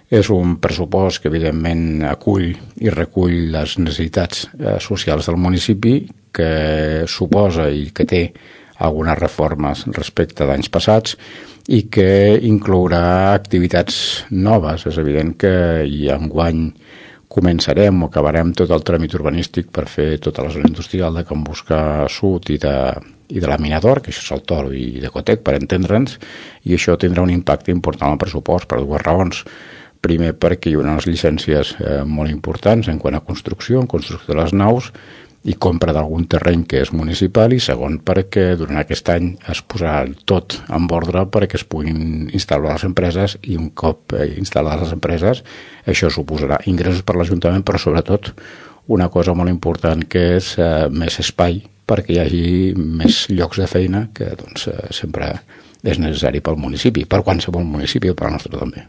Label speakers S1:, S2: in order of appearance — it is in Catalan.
S1: És un pressupost que evidentment acull i recull les necessitats socials del municipi, que suposa i que té algunes reformes respecte d'anys passats i que inclourà activitats noves. És evident que enguany començarem o acabarem tot el tràmit urbanístic per fer tota la zona industrial de Can Buscar Sud i de la Minador, que això és el Toro i de Cotec, per entendre'ns, i això tindrà un impacte important al pressupost per dues raons. Primer, perquè hi haurà unes llicències molt importants en quant a construcció de les naus i compra d'algun terreny que és municipal, i segon, perquè durant aquest any es posarà tot en ordre perquè es puguin instal·lar les empreses, i un cop instal·lades les empreses això suposarà ingressos per l'Ajuntament, però sobretot una cosa molt important, que és més espai perquè hi hagi més llocs de feina, que sempre és necessari pel municipi, per qualsevol municipi, per al nostre també.